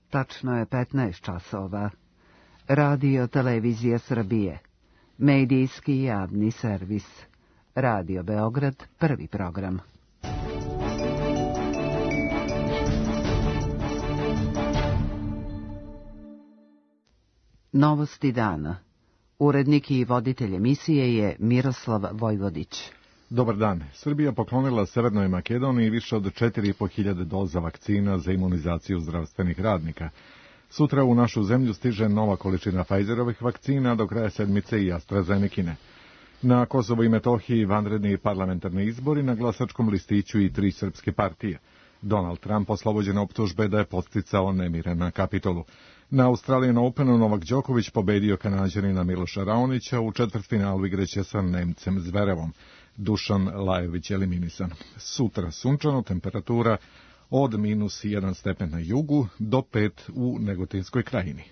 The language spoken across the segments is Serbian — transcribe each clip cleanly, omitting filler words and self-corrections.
Tačno je 15 časova. Radio Televizija Srbije. Medijski javni servis. Radio Beograd, prvi program. Novosti dana. Urednik i voditelj emisije je Miroslav Vojvodić. Dobar dan. Srbija poklonila Severnoj Makedoniji više od 4.500 doza vakcina za imunizaciju zdravstvenih radnika. Sutra u našu zemlju stiže nova količina Pfizerovih vakcina, do kraja sedmice i AstraZenekine. Na Kosovo i Metohiji vanredni parlamentarni izbori, na glasačkom listiću i 3 srpske partije. Donald Trump oslobođen optužbe da je podsticao nemire na Kapitolu. Na Australian Openu Novak Đoković pobedio Kanađanina Miloša Raonića, u četvrtfinalu igreće sa Nemcem Zverevom. Dušan Lajović eliminisan. Sutra sunčano, temperatura od -1 stepen na jugu do 5 u Negotinskoj krajini.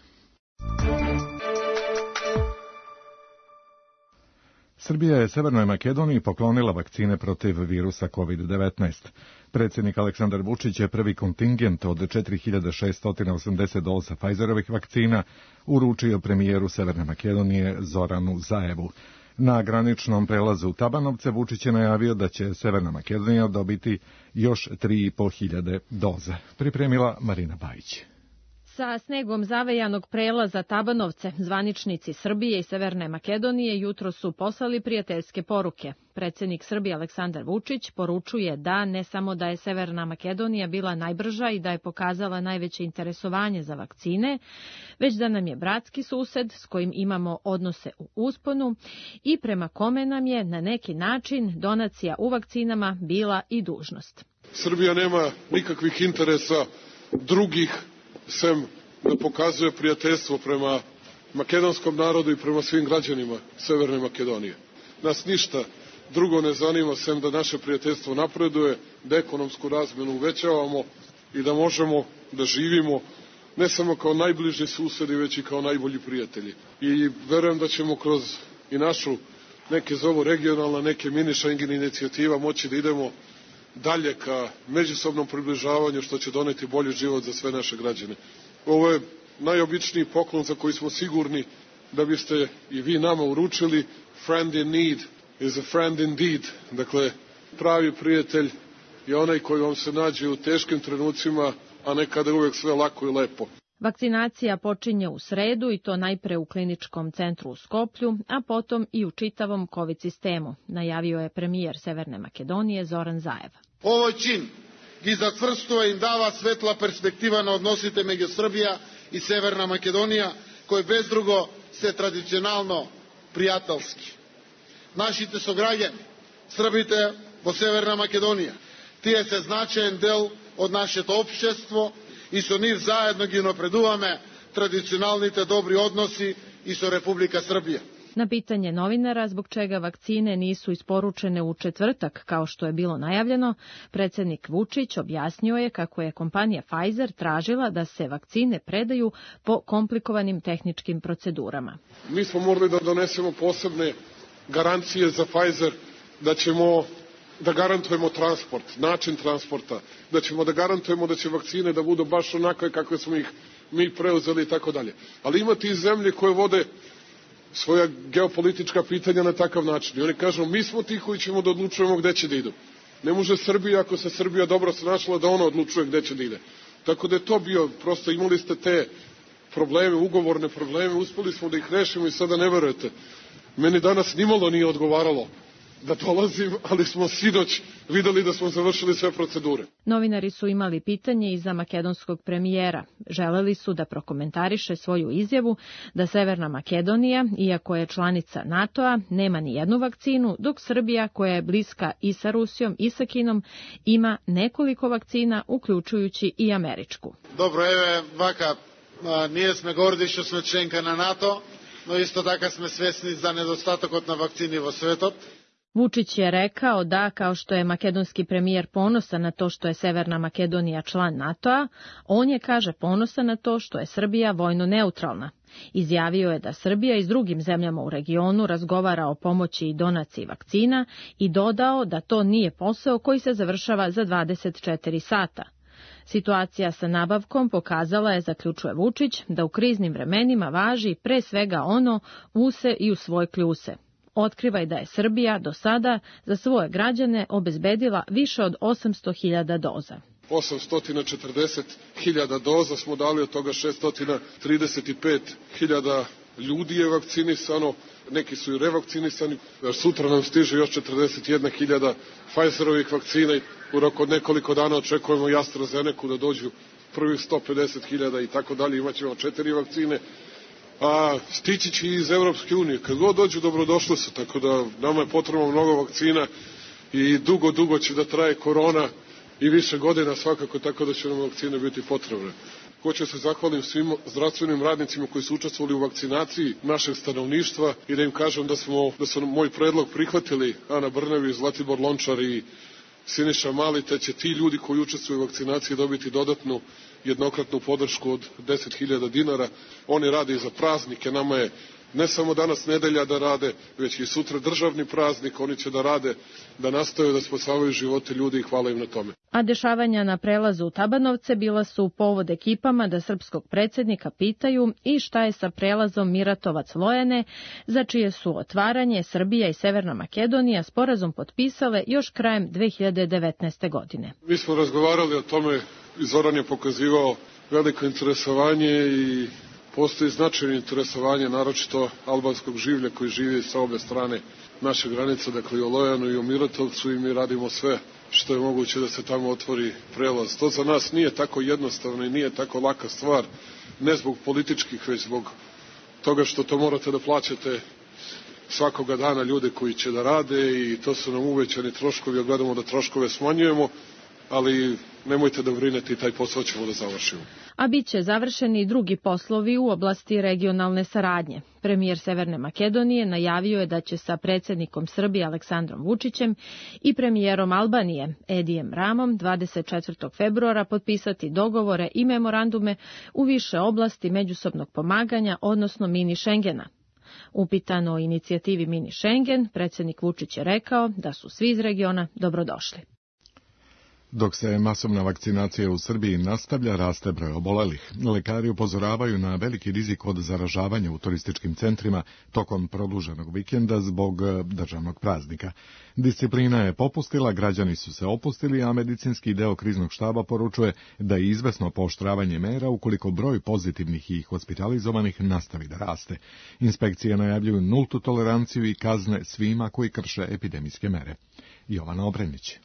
Srbija je Severnoj Makedoniji poklonila vakcine protiv virusa COVID-19. Predsjednik Aleksandar Vučić je prvi kontingent od 4.680 doza Pfizerovih vakcina uručio premijeru Severne Makedonije Zoranu Zaevu. Na graničnom prelazu Tabanovce Vučić je najavio da će Severna Makedonija dobiti još 3.500 doza. Pripremila Marina Bajić. Sa snegom zavejanog prelaza Tabanovce, zvaničnici Srbije i Severne Makedonije jutro su poslali prijateljske poruke. Predsjednik Srbije Aleksandar Vučić poručuje da ne samo da je Severna Makedonija bila najbrža i da je pokazala najveće interesovanje za vakcine, već da nam je bratski sused s kojim imamo odnose u usponu i prema kome nam je na neki način donacija u vakcinama bila i dužnost. Srbija nema nikakvih interesa drugih sem da pokazuje prijateljstvo prema makedonskom narodu i prema svim građanima Severne Makedonije. Nas ništa drugo ne zanima sem da naše prijateljstvo napreduje, da ekonomsku razmjenu uvećavamo i da možemo da živimo ne samo kao najbliži susedi, već i kao najbolji prijatelji. I verujem da ćemo kroz i našu, neke zovu regionalna, neke mini Schengen inicijativa, moći da idemo dalje ka međusobnom približavanju, što će doneti bolji život za sve naše građane. Ovo je najobičniji poklon za koji smo sigurni da biste i vi nama uručili. Friend in need is a friend indeed. Dakle, pravi prijatelj je onaj koji vam se nađe u teškim trenucima, a ne kada je uvijek sve lako i lepo. Vakcinacija počinje u sredu i to najpre u kliničkom centru u Skoplju, a potom i u čitavom COVID sistemu, najavio je premijer Severne Makedonije Zoran Zaev. Ovo čin gi zacvrstuje im dava svetla perspektiva na odnosite među Srbija i Severna Makedonija, koji bez drugo se tradicionalno prijateljski. Našite sograđani, Srbite po Severna Makedonija, tije se značajen del od našето opšćestvo i so njih zajedno gi napredujeme tradicionalните dobri odnosi i so Republika Srbija. Na pitanje novinara zbog čega vakcine nisu isporučene u četvrtak kao što je bilo najavljeno, predsjednik Vučić objasnio je kako je kompanija Pfizer tražila da se vakcine predaju po komplikovanim tehničkim procedurama. Mi smo morali da donesemo posebne garancije za Pfizer da ćemo da garantujemo transport, način transporta, da ćemo da garantujemo da će vakcine da budu baš onakve kakve smo ih mi preuzeli i tako dalje. Ali imate i zemlje koje vode svoja geopolitička pitanja na takav način. I oni kažu, mi smo ti koji ćemo da odlučujemo gde će da idu. Ne može Srbija, ako se Srbija dobro snašla, da ona odlučuje gde će da ide. Tako da je to bio, prosto imali ste te probleme, ugovorne probleme, uspeli smo da ih rešimo i sada ne verujete. Meni danas nimalo nije odgovaralo da dolazim, ali smo sinoć videli da smo završili sve procedure. Novinari su imali pitanje i za makedonskog premijera. Želeli su da prokomentariše svoju izjavu da Severna Makedonija, iako je članica NATO-a, nema ni jednu vakcinu, dok Srbija, koja je bliska i sa Rusijom i sa Kinom, ima nekoliko vakcina, uključujući i američku. Dobro, evo, vaka, nije sme gordi što sme členka na NATO, no isto tako sme svesni za nedostatak na vakcini vo svetot. Vučić je rekao da, kao što je makedonski premijer ponosan na to što je Severna Makedonija član NATO-a, on je, kaže, ponosan na to što je Srbija vojno neutralna. Izjavio je da Srbija i s drugim zemljama u regionu razgovara o pomoći i donaciji vakcina i dodao da to nije posao koji se završava za 24 sata. Situacija sa nabavkom pokazala je, zaključuje Vučić, da u kriznim vremenima važi pre svega ono u se i u svoj kljuse. Otkriva i da je Srbija do sada za svoje građane obezbedila više od 800.000 doza. 840.000 doza smo dali, od toga 635.000 ljudi je vakcinisano, neki su i revakcinisani. Sutra nam stiže još 41.000 Pfizerovih vakcina i u roku od nekoliko dana očekujemo i AstraZenecu da dođu prvih 150.000 i tako dalje. Imaćemo 4 vakcine. A stići će iz Evropske unije. Kad god dođu, dobrodošli su, tako da nama je potrebno mnogo vakcina i dugo će da traje korona i više godina svakako, tako da će nam vakcine biti potrebne. Hoću se zahvalim svim zdravstvenim radnicima koji su učestvovali u vakcinaciji našeg stanovništva i da im kažem da su moj predlog prihvatili Ana Brnabić, Zlatibor Lončar i Siniša Mali, te će ti ljudi koji učestvuju u vakcinaciji dobiti dodatnu jednokratnu podršku od 10.000 dinara. Oni rade i za praznike, nama je ne samo danas nedelja da rade, već i sutra državni praznik, oni će da rade, da nastaju da spasavaju živote ljudi i hvala im na tome. A dešavanja na prelazu u Tabanovce bila su povod ekipama da srpskog predsjednika pitaju i šta je sa prelazom Miratovac-Lojane, za čije su otvaranje Srbija i Severna Makedonija sporazum potpisale još krajem 2019. godine. Mi smo razgovarali o tome i Zoran je pokazivao veliko interesovanje i postoji značajno interesovanje, naročito albanskog življa koji živi sa obe strane naše granice, dakle i o Lojanu i o Miratovcu, i mi radimo sve što je moguće da se tamo otvori prelaz. To za nas nije tako jednostavno i nije tako laka stvar, ne zbog političkih, već zbog toga što to morate da plaćate svakoga dana ljude koji će da rade i to su nam uvećani troškovi, a gledamo da troškove smanjujemo, ali nemojte da brinete i taj posao ćemo da završimo. A bit će završeni i drugi poslovi u oblasti regionalne saradnje. Premijer Severne Makedonije najavio je da će sa predsjednikom Srbije Aleksandrom Vučićem i premijerom Albanije Edijem Ramom 24. februara potpisati dogovore i memorandume u više oblasti međusobnog pomaganja, odnosno mini Šengena. Upitan o inicijativi mini Schengen, predsjednik Vučić je rekao da su svi iz regiona dobrodošli. Dok se masovna vakcinacija u Srbiji nastavlja, raste broj obolelih. Lekari upozoravaju na veliki rizik od zaražavanja u turističkim centrima tokom produženog vikenda zbog državnog praznika. Disciplina je popustila, građani su se opustili, a medicinski deo kriznog štaba poručuje da je izvesno pooštravanje mera ukoliko broj pozitivnih i hospitalizovanih nastavi da raste. Inspekcije najavljuju nultu toleranciju i kazne svima koji krše epidemijske mere. Jovana Obrenić.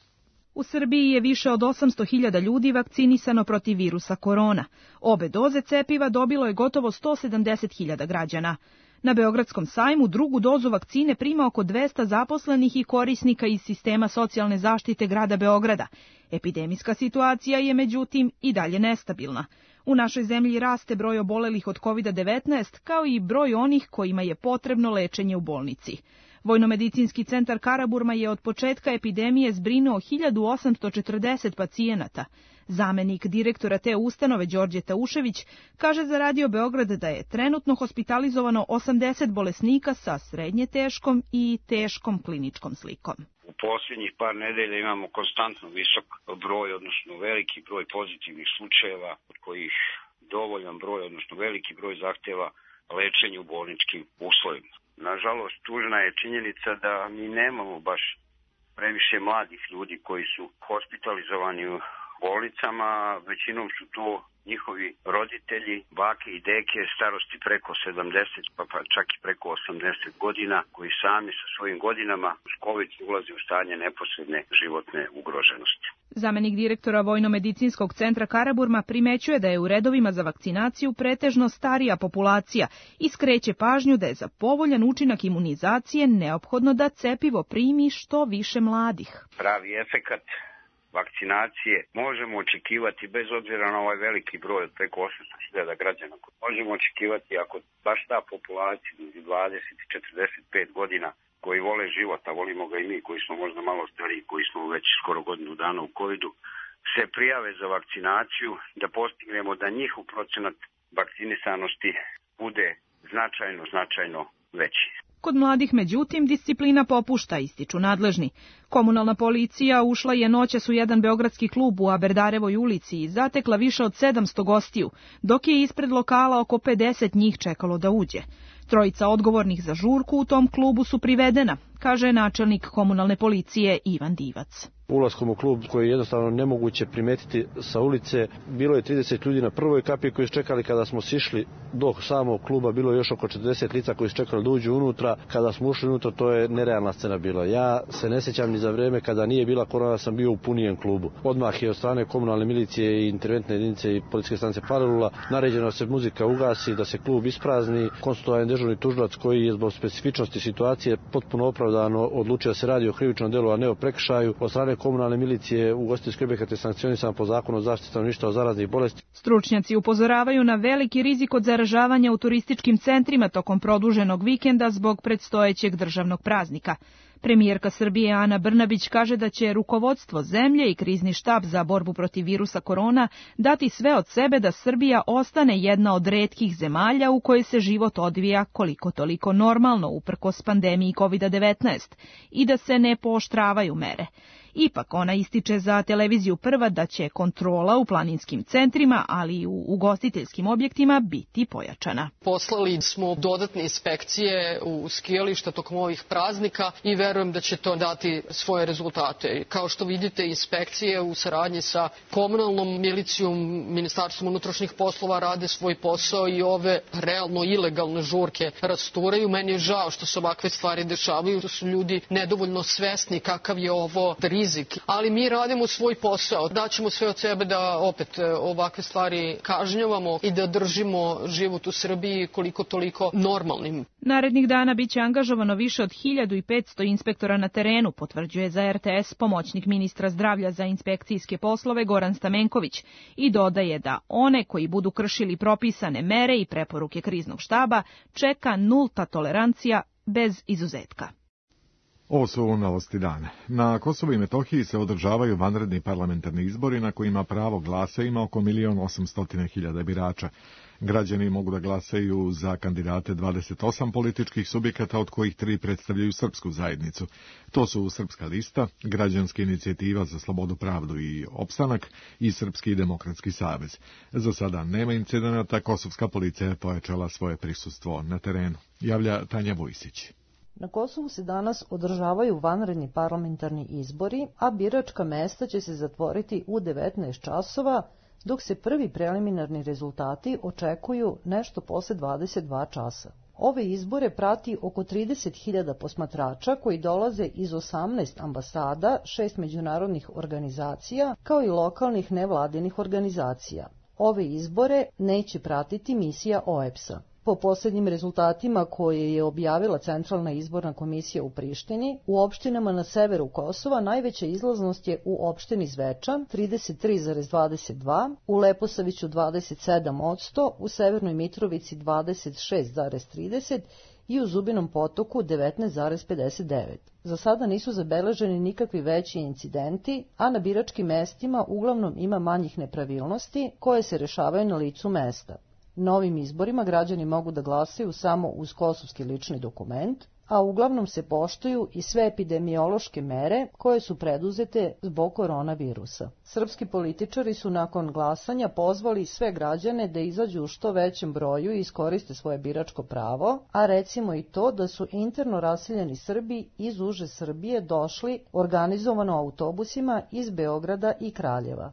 U Srbiji je više od 800.000 ljudi vakcinisano protiv virusa korona. Obe doze cepiva dobilo je gotovo 170.000 građana. Na Beogradskom sajmu drugu dozu vakcine prima oko 200 zaposlenih i korisnika iz sistema socijalne zaštite grada Beograda. Epidemijska situacija je međutim i dalje nestabilna. U našoj zemlji raste broj obolelih od COVID-19 kao i broj onih kojima je potrebno lečenje u bolnici. Vojnomedicinski centar Karaburma je od početka epidemije zbrinuo 1840 pacijenata. Zamenik direktora te ustanove Đorđe Taušević kaže za Radio Beograd da je trenutno hospitalizovano 80 bolesnika sa srednje teškom i teškom kliničkom slikom. U posljednjih par nedelja imamo konstantno visok broj, odnosno veliki broj pozitivnih slučajeva, od kojih dovoljan broj, odnosno veliki broj zahtjeva lečenje u bolničkim uslovima. Nažalost, tužna je činjenica da mi nemamo baš previše mladih ljudi koji su hospitalizovani u bolnicama, većinom su to njihovi roditelji, bake i deke starosti preko 70, pa čak i preko 80 godina, koji sami sa svojim godinama uz COVID ulaze u stanje neposredne životne ugroženosti. Zamenik direktora Vojnomedicinskog centra Karaburma primećuje da je u redovima za vakcinaciju pretežno starija populacija i skreće pažnju da je za povoljan učinak imunizacije neophodno da cepivo primi što više mladih. Pravi efekat vakcinacije možemo očekivati bez obzira na ovaj veliki broj od preko 800.000 građana. Možemo očekivati ako baš ta populacija između 20 i 45 godina koji vole život, a volimo ga i mi koji smo možda malo stariji, koji smo već skoro godinu dana u COVID-u, se prijave za vakcinaciju, da postignemo da njihov procenat vakcinisanosti bude značajno veći. Kod mladih, međutim, disciplina popušta, ističu nadležni. Komunalna policija ušla je noćas u jedan beogradski klub u Aberdarevoj ulici i zatekla više od 700 gostiju, dok je ispred lokala oko 50 njih čekalo da uđe. Trojica odgovornih za žurku u tom klubu su privedena, kaže načelnik komunalne policije Ivan Divac. Ulaskom u klub koji je jednostavno nemoguće primetiti sa ulice, bilo je 30 ljudi na prvoj kapi koji su čekali. Kada smo sišli do samog kluba, bilo je još oko 40 lica koji su čekali da uđu unutra. Kada smo ušli unutra, to je nerealna scena bila. Ja se ne sjećam ni za vreme kada nije bila korona, sam bio u punijem klubu. Odmah je od strane komunalne milicije i interventne jedinice i policijske stanice Palilula naređeno da se muzika ugasi, da se klub isprazni. Konstitutovan dežurni tužilac koji je zbog specifičnosti situacije potpuno opravdano odlučio da se radi o krivičnom delu, a ne o prekršaju. Od strane komunalne milicije ugostiteljski objekat je sankcionisan po zakonu o zaštiti stanovništva od zaraznih bolesti. Stručnjaci upozoravaju na veliki rizik od zaražavanja u turističkim centrima tokom produženog vikenda zbog predstojećeg državnog praznika. Premijerka Srbije Ana Brnabić kaže da će rukovodstvo zemlje i krizni štab za borbu protiv virusa korona dati sve od sebe da Srbija ostane jedna od retkih zemalja u kojoj se život odvija koliko toliko normalno uprkos pandemiji COVID-19 i da se ne pooštravaju mere. Ipak ona ističe za televiziju Prva da će kontrola u planinskim centrima, ali i u ugostiteljskim objektima biti pojačana. Poslali smo dodatne inspekcije u skijališta tokom ovih praznika i verujem da će to dati svoje rezultate. Kao što vidite, inspekcije u saradnji sa komunalnom milicijom, Ministarstvom unutrašnjih poslova rade svoj posao i ove realno ilegalne žurke rasturaju. Meni je žao što se ovakve stvari dešavaju, da su ljudi nedovoljno svesni kakav je ovo rizik, ali mi radimo svoj posao. Daćemo sve od sebe da opet ovakve stvari kažnjavamo i da držimo život u Srbiji koliko toliko normalnim. Narednih dana biće angažovano više od 1500 inspektora na terenu, potvrđuje za RTS pomoćnik ministra zdravlja za inspekcijske poslove Goran Stamenković i dodaje da one koji budu kršili propisane mere i preporuke kriznog štaba čeka nulta tolerancija bez izuzetka. Ovo su novosti dana. Na Kosovu i Metohiji se održavaju vanredni parlamentarni izbori na kojima pravo glasa ima oko 1.800.000 birača. Građani mogu da glasaju za kandidate 28 političkih subjekata, od kojih 3 predstavljaju srpsku zajednicu. To su Srpska lista, Građanska inicijativa za slobodu, pravdu i opstanak i Srpski demokratski savez. Za sada nema incidenata, kosovska policija je pojačala svoje prisustvo na terenu. Javlja Tanja Vujsić. Na Kosovu se danas održavaju vanredni parlamentarni izbori, a biračka mesta će se zatvoriti u 19 časova, dok se prvi preliminarni rezultati očekuju nešto posle 22 časa. Ove izbore prati oko 30.000 posmatrača koji dolaze iz 18 ambasada, 6 međunarodnih organizacija, kao i lokalnih nevladinih organizacija. Ove izbore neće pratiti misija OEBS-a. Po posljednjim rezultatima koje je objavila Centralna izborna komisija u Prištini, u opštinama na severu Kosova najveća izlaznost je u opštini Zvečan 33,22, u Leposaviću 27%, u Severnoj Mitrovici 26,30 i u Zubinom Potoku 19,59. Za sada nisu zabeleženi nikakvi veći incidenti, a na biračkim mestima uglavnom ima manjih nepravilnosti koje se rešavaju na licu mesta. Na ovim izborima građani mogu da glasaju samo uz kosovski lični dokument, a uglavnom se poštuju i sve epidemiološke mere koje su preduzete zbog koronavirusa. Srpski političari su nakon glasanja pozvali sve građane da izađu u što većem broju i iskoriste svoje biračko pravo, a recimo i to da su interno raseljeni Srbi iz uže Srbije došli organizovano autobusima iz Beograda i Kraljeva.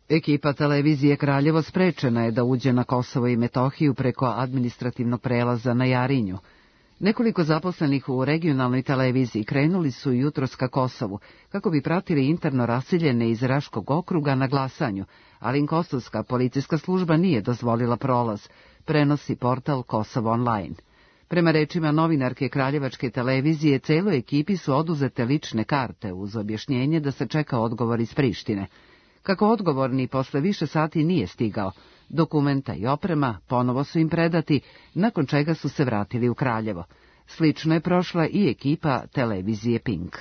Ekipa televizije Kraljevo sprečena je da uđe na Kosovo i Metohiju preko administrativnog prelaza na Jarinju. Nekoliko zaposlenih u regionalnoj televiziji krenuli su jutros ka Kosovu, kako bi pratili interno raseljene iz Raškog okruga na glasanju, ali kosovska policijska služba nije dozvolila prolaz, prenosi portal Kosovo Online. Prema rečima novinarke Kraljevačke televizije, celoj ekipi su oduzete lične karte uz objašnjenje da se čeka odgovor iz Prištine. Kako odgovorni posle više sati nije stigao, dokumenta i oprema ponovo su im predati, nakon čega su se vratili u Kraljevo. Slično je prošla i ekipa televizije Pink.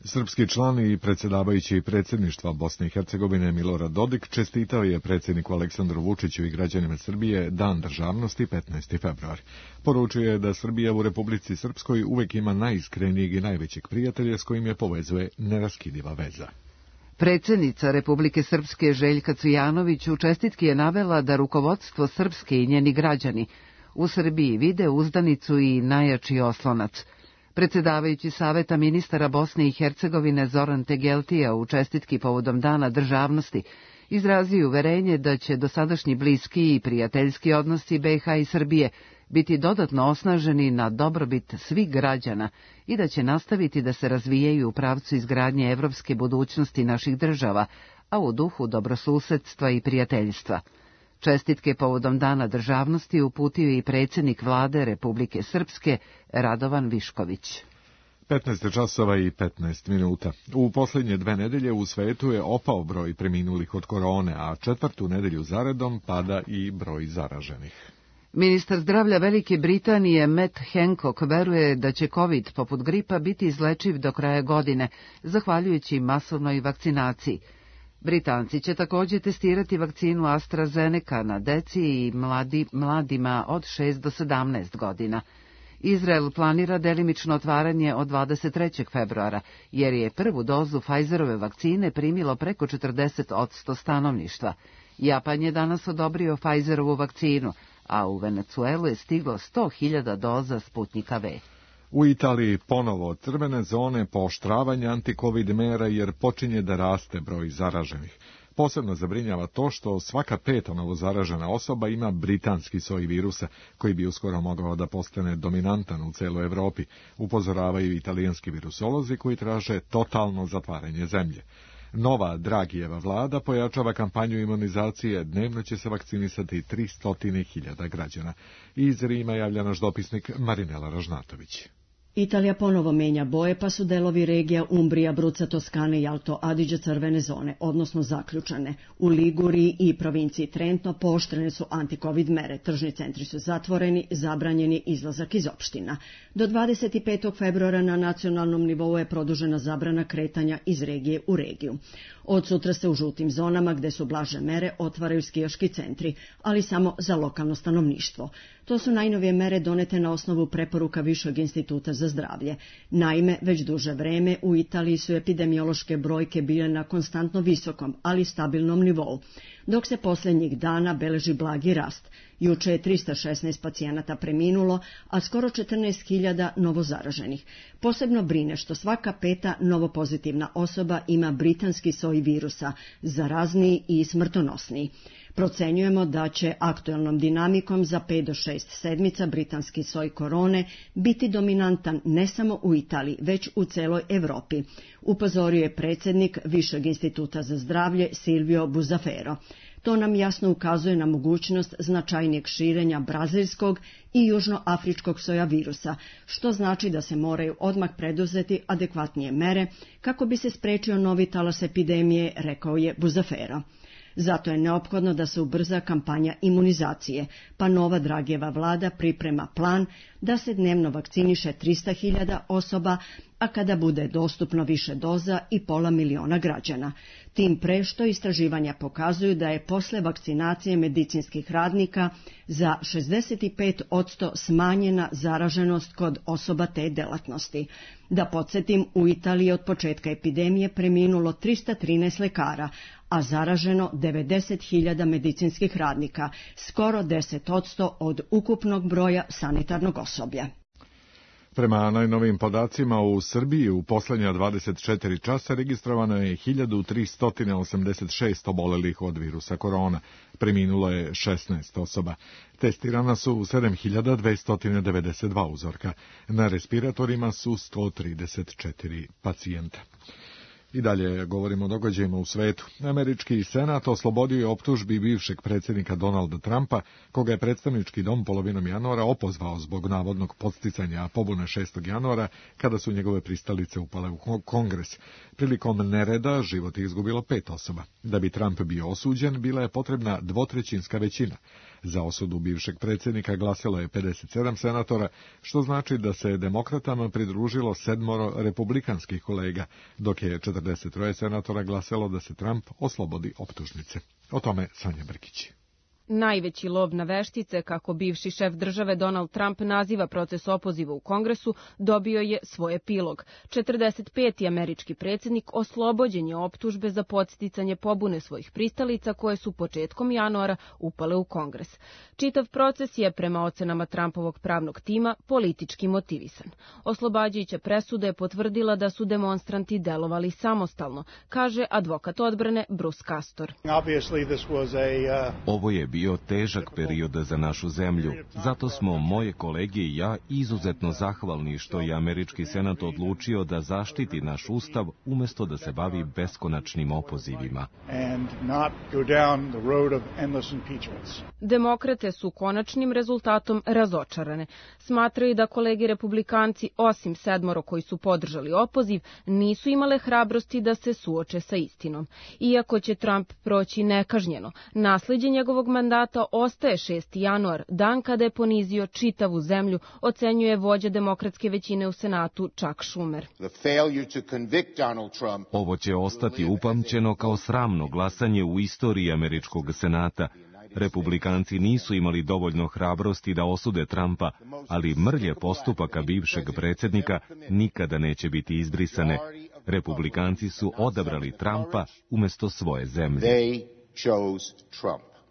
Srpski član i predsjedavajući predsjedništva Bosne i Hercegovine Milorad Dodik čestitao je predsjedniku Aleksandru Vučiću i građanima Srbije Dan državnosti 15. februar. Poručio je da Srbija u Republici Srpskoj uvek ima najiskrenijeg i najvećeg prijatelja s kojim je povezuje neraskidiva veza. Predsjednica Republike Srpske Željka Cvijanović u čestitki je navela da rukovodstvo Srpske i njeni građani u Srbiji vide uzdanicu i najjači oslonac. Predsjedavajući Saveta ministara Bosne i Hercegovine Zoran Tegeltija u čestitki povodom Dana državnosti izrazio uverenje da će dosadašnji bliski i prijateljski odnosi BiH i Srbije biti dodatno osnaženi na dobrobit svih građana i da će nastaviti da se razvijaju u pravcu izgradnje evropske budućnosti naših država, a u duhu dobrosusedstva i prijateljstva. Čestitke povodom Dana državnosti uputio i predsjednik vlade Republike Srpske Radovan Višković. 15 časova i 15 minuta. U posljednje 2 nedelje u svetu je opao broj preminulih od korone, a 4. nedelju zaredom pada i broj zaraženih. Ministar zdravlja Velike Britanije Matt Hancock veruje da će COVID poput gripa biti izlečiv do kraja godine, zahvaljujući masovnoj vakcinaciji. Britanci će također testirati vakcinu AstraZeneca na deci i mladima od 6 do 17 godina. Izrael planira delimično otvaranje od 23. februara, jer je prvu dozu Pfizerove vakcine primilo preko 40% stanovništva. Japan je danas odobrio Pfizerovu vakcinu, a u Venecuelu je stiglo 100.000 doza Sputnika V. U Italiji ponovo crvene zone, pooštravanje anti-covid mera jer počinje da raste broj zaraženih. Posebno zabrinjava to što svaka 5. novozaražena osoba ima britanski soj virusa, koji bi uskoro mogao da postane dominantan u celoj Evropi, upozoravaju italijanski virusolozi koji traže totalno zatvaranje zemlje. Nova Dragijeva vlada pojačava kampanju imunizacije, dnevno će se vakcinisati 300.000 građana. Iz Rima javlja naš dopisnik Marinela Ražnatović. Italija ponovo menja boje, pa su delovi regija Umbrija, Bruca, Toskane i Alto Adige crvene zone, odnosno zaključane. U Liguriji i provinciji Trentno pooštrene su anti-covid mere, tržni centri su zatvoreni, zabranjen je izlazak iz opština. Do 25. februara na nacionalnom nivou je produžena zabrana kretanja iz regije u regiju. Od sutra se u žutim zonama, gde su blaže mere, otvaraju skijaški centri, ali samo za lokalno stanovništvo. To su najnovije mere donete na osnovu preporuka Višeg instituta za zdravlje. Naime, već duže vreme u Italiji su epidemiološke brojke bile na konstantno visokom, ali stabilnom nivou, dok se posljednjih dana beleži blagi rast. Juče je 316 pacijenata preminulo, a skoro 14.000 novozaraženih. Posebno brine što svaka 5. novopozitivna osoba ima britanski soj virusa, zarazniji i smrtonosniji. Procenjujemo da će aktuelnom dinamikom za 5 do 6 sedmica britanski soj korone biti dominantan ne samo u Italiji, već u celoj Evropi, upozorio je predsjednik Višeg instituta za zdravlje Silvio Buzafero. To nam jasno ukazuje na mogućnost značajnijeg širenja brazilskog i južnoafričkog soja virusa, što znači da se moraju odmah preduzeti adekvatnije mere kako bi se sprečio novi talas epidemije, rekao je Buzafero. Zato je neophodno da se ubrza kampanja imunizacije, pa nova Dragijeva vlada priprema plan da se dnevno vakciniše 300.000 osoba, a kada bude dostupno više doza i 500.000 građana. Tim pre što istraživanja pokazuju da je posle vakcinacije medicinskih radnika za 65% smanjena zaraženost kod osoba te delatnosti. Da podsjetim, u Italiji od početka epidemije preminulo 313 lekara, a zaraženo 90.000 medicinskih radnika, skoro 10% od ukupnog broja sanitarnog osoblja. Prema najnovijim podacima u Srbiji u posljednja 24 časa registrovano je 1386 obolelih od virusa korona. Preminulo je 16 osoba. Testirana su 7292 uzorka. Na respiratorima su 134 pacijenta. I dalje govorimo o događajima u svetu. Američki senat oslobodio je optužbi bivšeg predsjednika Donalda Trumpa, koga je predstavnički dom polovinom januara opozvao zbog navodnog podsticanja pobune 6. januara, kada su njegove pristalice upale u Kongres. Prilikom nereda život je izgubilo 5 osoba. Da bi Trump bio osuđen, bila je potrebna 2/3 većina. Za osudu bivšeg predsjednika glasilo je 57 senatora, što znači da se demokratama pridružilo 7 republikanskih kolega, dok je 43 senatora glasalo da se Trump oslobodi optužnice. O tome Sanja Brkić. Najveći lov na veštice, kako bivši šef države Donald Trump naziva proces opoziva u Kongresu, dobio je svoj epilog. 45. američki predsjednik oslobođen je optužbe za podsticanje pobune svojih pristalica koje su početkom januara upale u Kongres. Čitav proces je, prema ocenama Trumpovog pravnog tima, politički motivisan. Oslobađajuća presuda je potvrdila da su demonstranti delovali samostalno, kaže advokat odbrane Bruce Castor. Ovo je bio težak period za našu zemlju. Zato smo moje kolege i ja izuzetno zahvalni što je američki senat odlučio da zaštiti naš ustav umjesto da se bavi beskonačnim opozivima. Demokrate su konačnim rezultatom razočarane. Smatraju da kolegi republikanci, osim 7 koji su podržali opoziv, nisu imale hrabrosti da se suoče sa istinom. Iako će Trump proći nekažnjeno, nasleđe njegovog mandata ostaje 6. januar, dan kada je ponizio čitavu zemlju, ocenjuje vođa demokratske većine u Senatu Chuck Schumer. Ovo će ostati upamćeno kao sramno glasanje u istoriji američkog senata. Republikanci nisu imali dovoljno hrabrosti da osude Trumpa, ali mrlje postupaka bivšeg predsjednika nikada neće biti izbrisane. Republikanci su odabrali Trumpa umjesto svoje zemlje.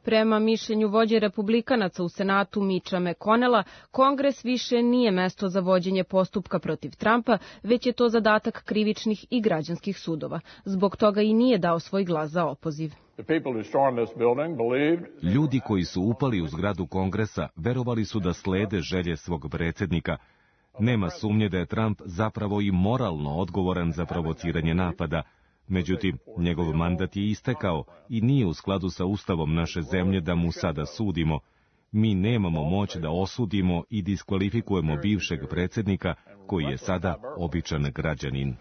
Prema mišljenju vođe republikanaca u Senatu Mitcha McConnella, Kongres više nije mesto za vođenje postupka protiv Trumpa, već je to zadatak krivičnih i građanskih sudova. Zbog toga i nije dao svoj glas za opoziv. Ljudi koji su upali u zgradu Kongresa verovali su da slede želje svog predsjednika. Nema sumnje da je Trump zapravo i moralno odgovoran za provociranje napada. Međutim, njegov mandat je istekao i nije u skladu sa ustavom naše zemlje da mu sada sudimo. Mi nemamo moć da osudimo i diskvalifikujemo bivšeg predsjednika, koji je sada običan građanin.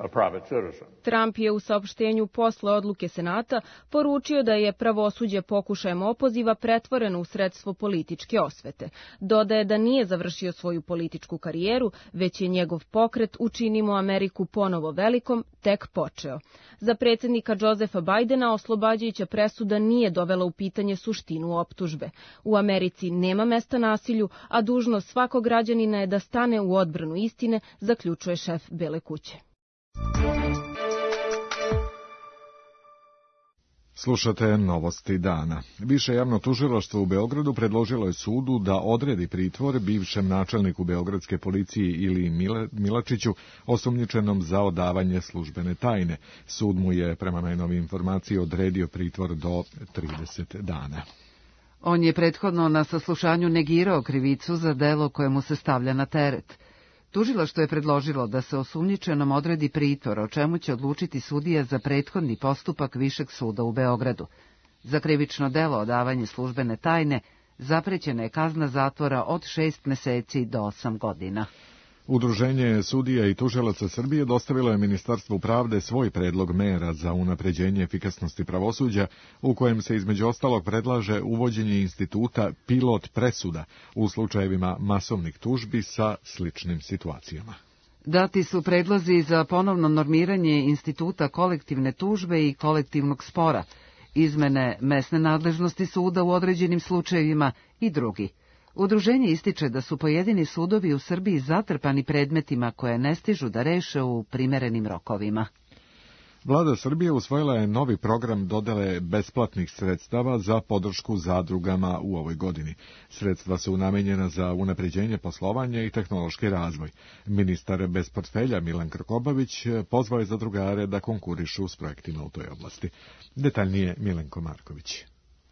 Trump je u saopštenju posle odluke Senata poručio da je pravosuđe pokušajem opoziva pretvoreno u sredstvo političke osvete. Dodaje da nije završio svoju političku karijeru, već je njegov pokret Učinimo Ameriku ponovo velikom tek počeo. Za predsjednika Josepha Bidena oslobađajuća presuda nije dovela u pitanje suštinu optužbe. U Americi nema mesta nasilju, a dužnost svakog građanina je da stane u odbranu istine, zaključuje šef Bele kuće. Slušate novosti dana. Više javno tužilaštvo u Beogradu predložilo je sudu da odredi pritvor bivšem načelniku beogradske policije Iliji Milačiću, osumnjičenom za odavanje službene tajne. Sud mu je, prema najnovijoj informaciji, odredio pritvor do 30 dana. On je prethodno na saslušanju negirao krivicu za delo koje mu se stavlja na teret. Tužilaštvo je predložilo da se osumnjičenom odredi pritvor, o čemu će odlučiti sudija za prethodni postupak Višeg suda u Beogradu. Za krivično delo odavanje službene tajne zaprećena je kazna zatvora od 6 meseci do 8 godina. Udruženje sudija i tužilaca Srbije dostavilo je Ministarstvu pravde svoj predlog mera za unapređenje efikasnosti pravosuđa, u kojem se između ostalog predlaže uvođenje instituta pilot presuda u slučajevima masovnih tužbi sa sličnim situacijama. Dati su predlozi za ponovno normiranje instituta kolektivne tužbe i kolektivnog spora, izmene mesne nadležnosti suda u određenim slučajevima i drugi. Udruženje ističe da su pojedini sudovi u Srbiji zatrpani predmetima koje ne stižu da reše u primerenim rokovima. Vlada Srbije usvojila je novi program dodele besplatnih sredstava za podršku zadrugama u ovoj godini. Sredstva su namenjena za unapređenje poslovanja i tehnološki razvoj. Ministar bez portfelja Milan Krkobabić pozvao je zadrugare da konkurišu s projektima u toj oblasti. Detaljnije Milenko Marković.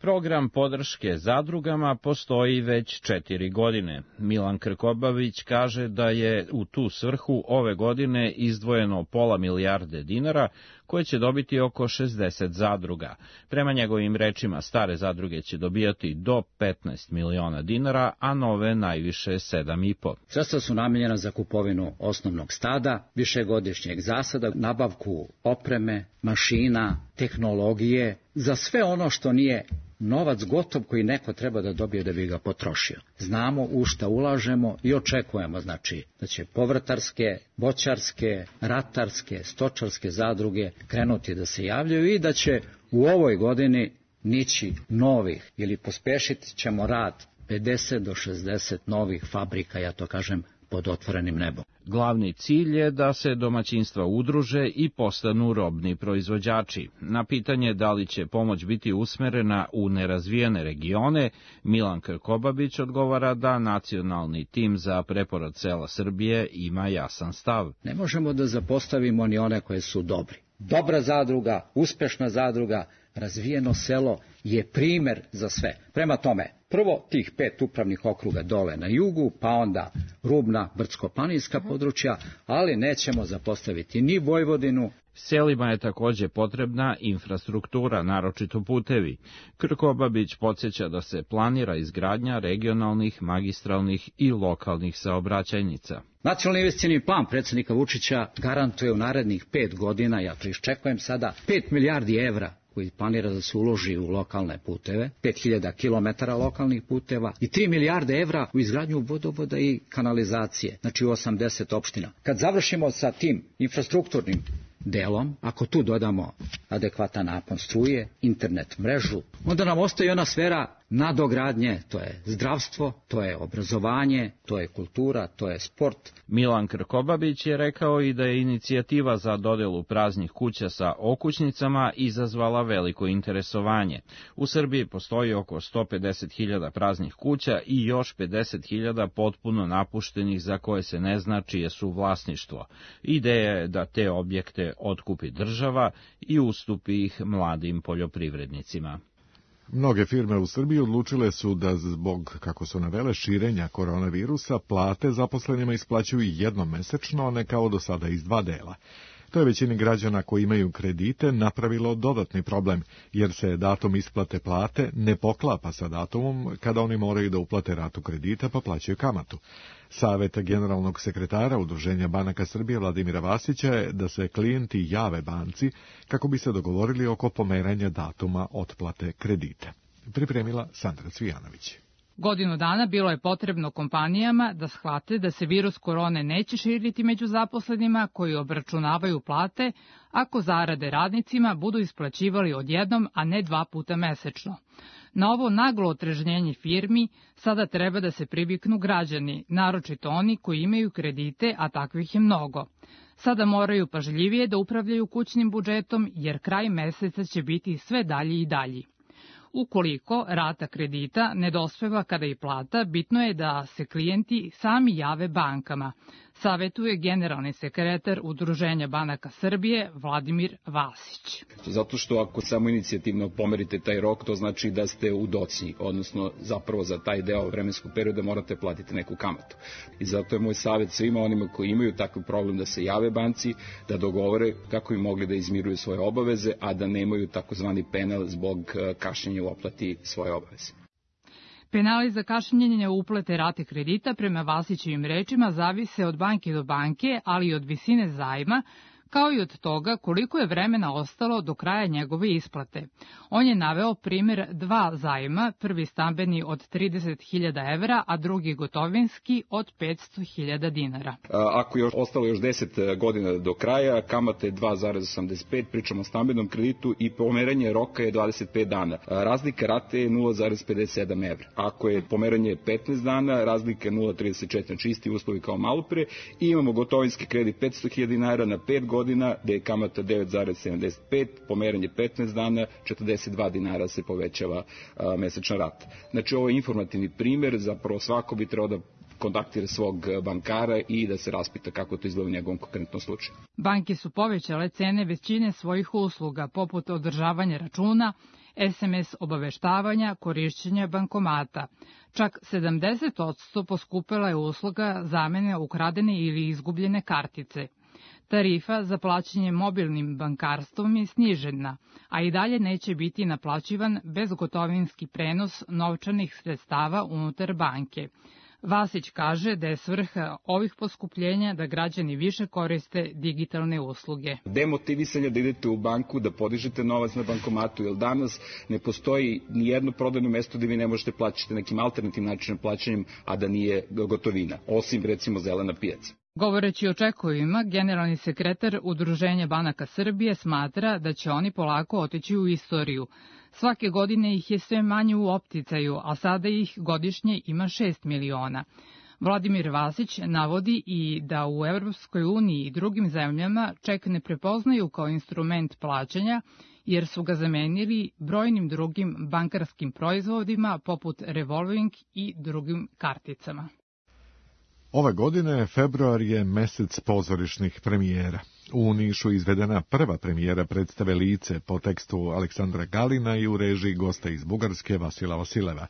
Program podrške zadrugama postoji već 4 godine. Milan Krkobabić kaže da je u tu svrhu ove godine izdvojeno pola milijarde dinara, koje će dobiti oko 60 zadruga. Prema njegovim rečima, stare zadruge će dobijati do 15 miliona dinara, a nove najviše 7,5. Sredstva su namenjena za kupovinu osnovnog stada, višegodišnjeg zasada, nabavku opreme, mašina, tehnologije, za sve ono što nije novac gotov koji neko treba da dobije da bi ga potrošio. Znamo u šta ulažemo i očekujemo, znači, da će povrtarske, voćarske, ratarske, stočarske zadruge krenuti da se javljaju i da će u ovoj godini nići novih ili pospešit ćemo rad 50 do 60 novih fabrika, ja to kažem, pod otvorenim nebom. Glavni cilj je da se domaćinstva udruže i postanu robni proizvođači. Na pitanje da li će pomoć biti usmerena u nerazvijene regione, Milan Krkobabić odgovara da nacionalni tim za preporod sela Srbije ima jasan stav. Ne možemo da zapostavimo ni one koje su dobri. Dobra zadruga, uspešna zadruga, razvijeno selo je primer za sve. Prema tome, prvo tih 5 upravnih okruga dole na jugu, pa onda rubna brdsko-planinska područja, ali nećemo zapostaviti ni Vojvodinu. Selima je takođe potrebna infrastruktura, naročito putevi. Krkobabić podsjeća da se planira izgradnja regionalnih, magistralnih i lokalnih saobraćajnica. Nacionalni investicioni plan predsjednika Vučića garantuje u narednih 5 godina, ja to iščekujem sada, 5 milijardi evra koji planira da se uloži u lokalne puteve, 5000 kilometara lokalnih puteva i 3 milijarde evra u izgradnju vodovoda i kanalizacije, znači u 80 opština. Kad završimo sa tim infrastrukturnim delom, ako tu dodamo adekvatan napon struje, internet mrežu, onda nam ostaje ona sfera nadogradnje, to je zdravstvo, to je obrazovanje, to je kultura, to je sport. Milan Krkobabić je rekao i da je inicijativa za dodelu praznih kuća sa okućnicama izazvala veliko interesovanje. U Srbiji postoji oko 150.000 praznih kuća i još 50.000 potpuno napuštenih za koje se ne zna čije su vlasništvo. Ideja je da te objekte otkupi država i ustupi ih mladim poljoprivrednicima. Mnoge firme u Srbiji odlučile su da zbog, kako su navele, širenja koronavirusa, plate zaposlenima isplaćuju jednom mesečno, a ne kao do sada iz 2 dela. To je većini građana koji imaju kredite napravilo dodatni problem, jer se datum isplate plate ne poklapa sa datumom kada oni moraju da uplate ratu kredita pa plaćaju kamatu. Savet generalnog sekretara Udruženja banaka Srbije Vladimira Vasića je da se klijenti jave banci kako bi se dogovorili oko pomeranja datuma otplate kredita. Pripremila Sandra Cvijanović. Godinu dana bilo je potrebno kompanijama da shvate da se virus korone neće širiti među zaposlenima koji obračunavaju plate ako zarade radnicima budu isplaćivali odjednom, a ne 2 puta mesečno. Na ovo naglo otrežnjenje firmi sada treba da se priviknu građani, naročito oni koji imaju kredite, a takvih je mnogo. Sada moraju pažljivije da upravljaju kućnim budžetom jer kraj meseca će biti sve dalji i dalji. Ukoliko rata kredita ne dospeva kada i plata, bitno je da se klijenti sami jave bankama, savetuje generalni sekretar Udruženja banaka Srbije Vladimir Vasić. Zato što ako samo inicijativno pomerite taj rok, to znači da ste u docnji, odnosno zapravo za taj deo vremenskog perioda morate platiti neku kamatu. I zato je moj savjet svima onima koji imaju takav problem da se jave banci, da dogovore kako bi mogli da izmiruju svoje obaveze, a da nemaju takozvani penal zbog kašnjenja u oplati svoje obaveze. Penali za kašnjenje uplate rate kredita prema Vasićevim rečima zavise od banke do banke, ali i od visine zajma, kao i od toga koliko je vremena ostalo do kraja njegove isplate. On je naveo primjer 2 zajma, prvi stambeni od 30.000 evra, a drugi gotovinski od 500.000 dinara. Ako je ostalo još 10 godina do kraja, kamata je 2,85, pričamo o stambenom kreditu i pomeranje roka je 25 dana. Razlika rate je 0,57 evra. Ako je pomeranje 15 dana, razlika je 0,34, znači isti uslovi kao malo pre, i imamo gotovinski kredit 500.000 dinara na 5 godina, gde je kamata 9,75, pomeranje 15 dana, 42 dinara se povećava mesečna rata. Znači ovo je informativni primjer, zapravo svako bi trebao da kontaktira svog bankara i da se raspita kako to izgleda u njegovom konkretnom slučaju. Banke su povećale cene većine svojih usluga, poput održavanja računa, SMS obaveštavanja, korišćenja bankomata. Čak 70% poskupela je usluga zamene ukradene ili izgubljene kartice. Tarifa za plaćanje mobilnim bankarstvom je snižena, a i dalje neće biti naplaćivan bezgotovinski prenos novčanih sredstava unutar banke. Vasić kaže da je svrha ovih poskupljenja da građani više koriste digitalne usluge. Demotivisanje da idete u banku, da podižete novac na bankomatu, jer danas ne postoji ni jedno prodajno mesto gde vi ne možete plaćati nekim alternativnim načinom plaćanjem, a da nije gotovina, osim recimo zelena pijaca. Govoreći o čekovima, generalni sekretar Udruženja banaka Srbije smatra da će oni polako otići u istoriju. Svake godine ih je sve manje u opticaju, a sada ih godišnje ima 6 miliona. Vladimir Vasić navodi i da u Evropskoj uniji i drugim zemljama ček ne prepoznaju kao instrument plaćanja, jer su ga zamenili brojnim drugim bankarskim proizvodima poput revolving i drugim karticama. Ove godine februar je mesec pozorišnih premijera. U Nišu izvedena prva premijera predstave Lice po tekstu Aleksandra Galina i u režiji gosta iz Bugarske Vasila Vasileva.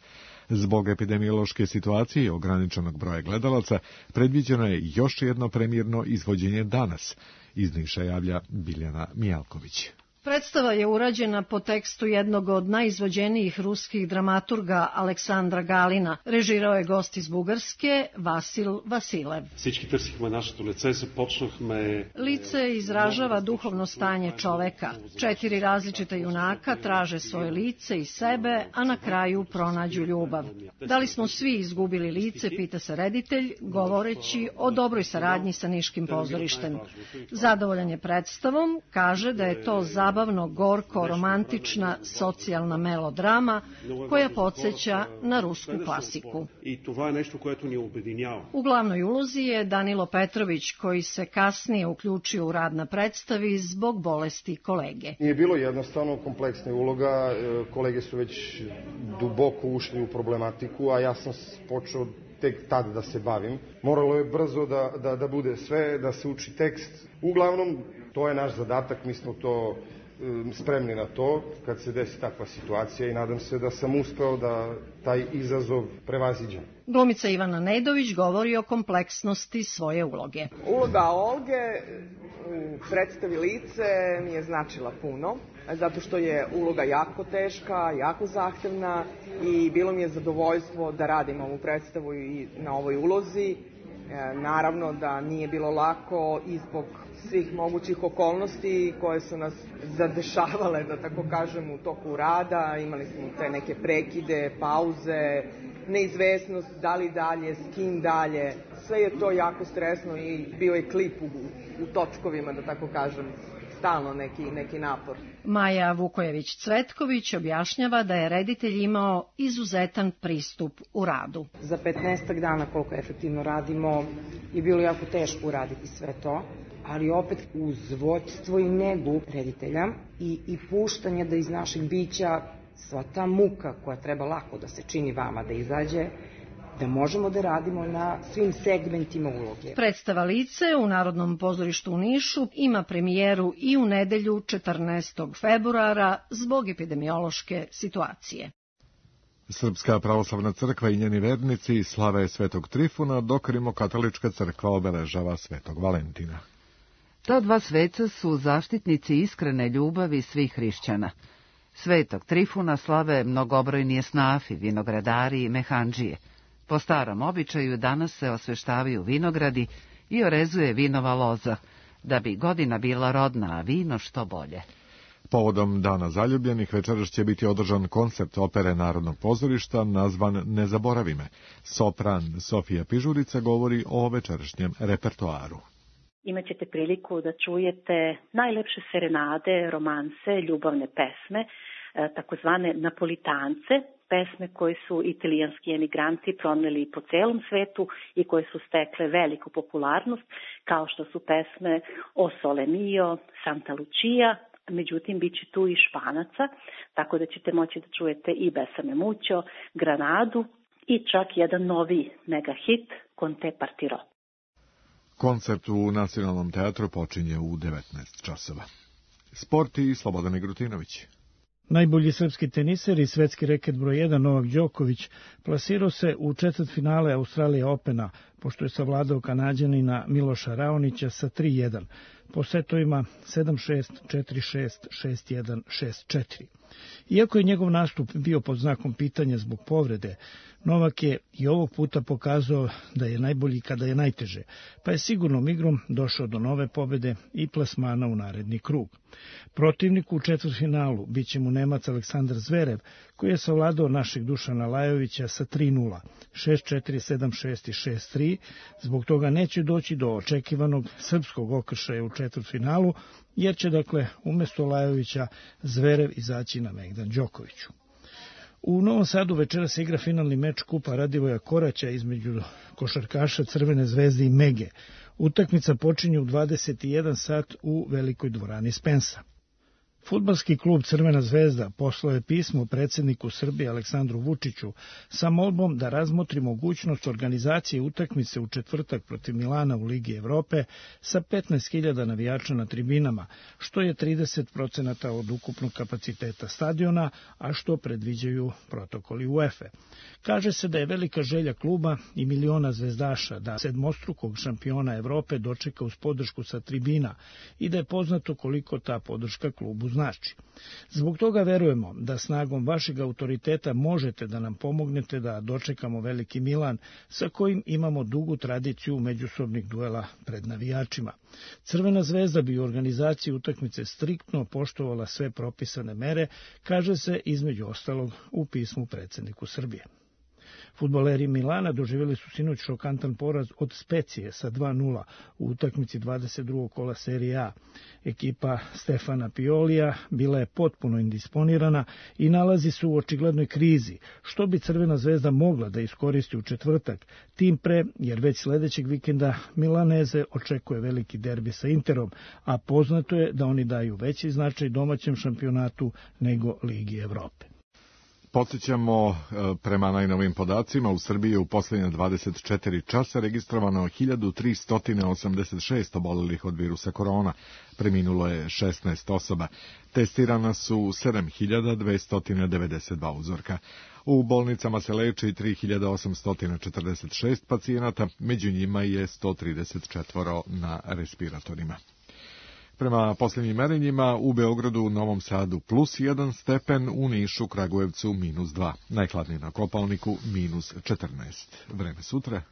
Zbog epidemiološke situacije i ograničenog broja gledalaca predviđeno je još jedno premijerno izvođenje danas. Iz Niša javlja Biljana Mijalković. Predstava je urađena po tekstu jednog od najizvođenijih ruskih dramaturga Aleksandra Galina. Režirao je gost iz Bugarske Vasil Vasilev. Lice izražava duhovno stanje čoveka. 4 različita junaka traže svoje lice i sebe, a na kraju pronađu ljubav. Da li smo svi izgubili lice, pita se reditelj, govoreći o dobroj saradnji sa Niškim pozorištem. Zadovoljan je predstavom, kaže da je to zabavno, gorko, romantična, socijalna melodrama koja podsjeća na rusku klasiku. U glavnoj ulozi je Danilo Petrović, koji se kasnije uključio u rad na predstavi zbog bolesti kolege. Nije bilo jednostavno, kompleksna uloga, kolege su već duboko ušli u problematiku, a ja sam počeo tek tad da se bavim. Moralo je brzo da bude sve, da se uči tekst. Uglavnom, to je naš zadatak, mi smo to spremni na to kad se desi takva situacija i nadam se da sam uspeo da taj izazov prevaziđem. Glumica Ivana Nedović govori o kompleksnosti svoje uloge. Uloga Olge u predstavi Lice mi je značila puno, zato što je uloga jako teška, jako zahtevna i bilo mi je zadovoljstvo da radim ovu predstavu i na ovoj ulozi. Naravno da nije bilo lako i zbog svih mogućih okolnosti koje su nas zadešavale, da tako kažem, u toku rada. Imali smo te neke prekide, pauze, neizvesnost da li dalje, s kim dalje. Sve je to jako stresno i bio je klip u točkovima, da tako kažem, stalno neki napor. Maja Vukojević-Cvetković objašnjava da je reditelj imao izuzetan pristup u radu. Za 15 dana koliko efektivno radimo je bilo jako teško uraditi sve to, ali opet uz vođstvo i negu reditelja i puštanje da iz našeg bića sva ta muka koja treba lako da se čini vama da izađe, da možemo da radimo na svim segmentima uloge. Predstava Lice u Narodnom pozorištu u Nišu ima premijeru i u nedelju 14. februara zbog epidemiološke situacije. Srpska pravoslavna crkva i njeni vernici slave Svetog Trifuna, dok Rimokatolička crkva obeležava Svetog Valentina. Ta dva sveca su zaštitnici iskrene ljubavi svih hrišćana. Svetog Trifuna slave mnogobrojni esnafi, vinogradari i mehandžije. Po starom običaju danas se osveštavaju vinogradi i orezuje vinova loza, da bi godina bila rodna, a vino što bolje. Povodom Dana zaljubljenih večeras će biti održan koncert opere Narodnog pozorišta nazvan Ne zaboravi me. Sopran Sofija Pižurica govori o večerašnjem repertoaru. Imaćete priliku da čujete najlepše serenade, romanse, ljubavne pesme, takozvane napolitance, pesme koje su italijanski emigranti proneli po celom svetu i koje su stekle veliku popularnost, kao što su pesme O Sole Mio, Santa Lucia, međutim bit će tu i Španaca, tako da ćete moći da čujete i Besame Mucho, Granadu i čak jedan novi mega hit, Con te partirò. Koncert u Nacionalnom teatru počinje u 19 časova. Sport i Slobodan Igrutinović. Najbolji srpski teniser i svetski reket broj 1 Novak Đoković plasirao se u četvrtfinale Australija Opena, pošto je savladao Kanađanina Miloša Raonića sa 3-1. po setovima 7-6, 4-6, 6-1, 6-4. Iako je njegov nastup bio pod znakom pitanja zbog povrede, Novak je i ovog puta pokazao da je najbolji kada je najteže, pa je sigurnom igrom došao do nove pobede i plasmana u naredni krug. Protivnik u četvrtfinalu biće mu Nemac Aleksandar Zverev, koji je savladao našeg Dušana Lajovića sa 3-0, 6-4, 7-6 i 6-3, zbog toga neće doći do očekivanog srpskog okršaja u četvrtfinalu, jer će dakle umjesto Lajovića Zverev izaći na megdan Đokoviću. U Novom Sadu večeras se igra finalni meč Kupa Radivoja Koraća između košarkaša Crvene zvezde i Mege. Utakmica počinje u 21 sat u velikoj dvorani Spensa. Fudbalski klub Crvena zvezda poslao je pismo predsjedniku Srbije Aleksandru Vučiću sa molbom da razmotri mogućnost organizacije utakmice u četvrtak protiv Milana u Ligi Evrope sa 15.000 navijača na tribinama, što je 30% od ukupnog kapaciteta stadiona, a što predviđaju protokoli UEFA. Kaže se da je velika želja kluba i miliona zvezdaša da sedmostrukog šampiona Evrope dočeka uz podršku sa tribina i da je poznato koliko ta podrška klubu znači. Zbog toga verujemo da snagom vašeg autoriteta možete da nam pomognete da dočekamo veliki Milan sa kojim imamo dugu tradiciju međusobnih duela pred navijačima. Crvena zvezda bi u organizaciji utakmice striktno poštovala sve propisane mere, kaže se između ostalog u pismu predsjedniku Srbije. Fudbaleri Milana doživjeli su sinoć šokantan poraz od Specije sa 2-0 u utakmici 22. kola Serije A. Ekipa Stefana Piolija bila je potpuno indisponirana i nalazi se u očiglednoj krizi, što bi Crvena zvezda mogla da iskoristi u četvrtak, tim pre jer već sljedećeg vikenda Milaneze očekuje veliki derbi sa Interom, a poznato je da oni daju veći značaj domaćem šampionatu nego Ligi Evrope. Podsjećamo, prema najnovim podacima, u Srbiji je u posljednje 24 časa registrovano 1386 obolelih od virusa korona, preminulo je 16 osoba, testirana su 7292 uzorka. U bolnicama se leči 3846 pacijenata, među njima je 134 na respiratorima. Prema posljednjim merenjima u Beogradu, Novom Sadu +1 stepen, u Nišu, Kragujevcu -2, najhladnije na Kopaoniku -14. Vreme sutra.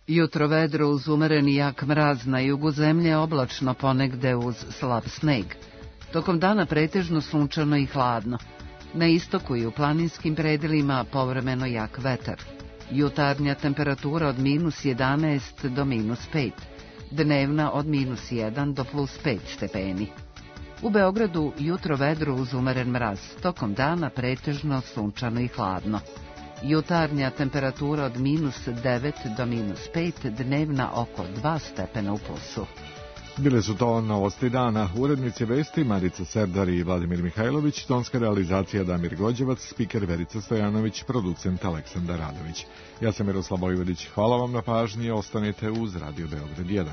Jutro vedro uz umereni jak mraz, na jugu zemlje oblačno, ponegde uz slab sneg. Tokom dana pretežno sunčano i hladno. Na istoku i u planinskim predelima povremeno jak vetar. Jutarnja temperatura od -11 do -5. Dnevna od -1 do +5 stepeni. U Beogradu jutro vedro uz umeren mraz, tokom dana pretežno sunčano i hladno. Jutarnja temperatura od -9 do -5, dnevna oko 2 stepena u plusu. Bile su to novosti dana. Urednici vesti Marica Serdar i Vladimir Mihajlović, tonska realizacija Damir Gođevac, spiker Verica Stojanović, producent Aleksandar Radović. Ja sam Miroslav Vojvodić. Hvala vam na pažnji, ostanite uz Radio Beograd 1.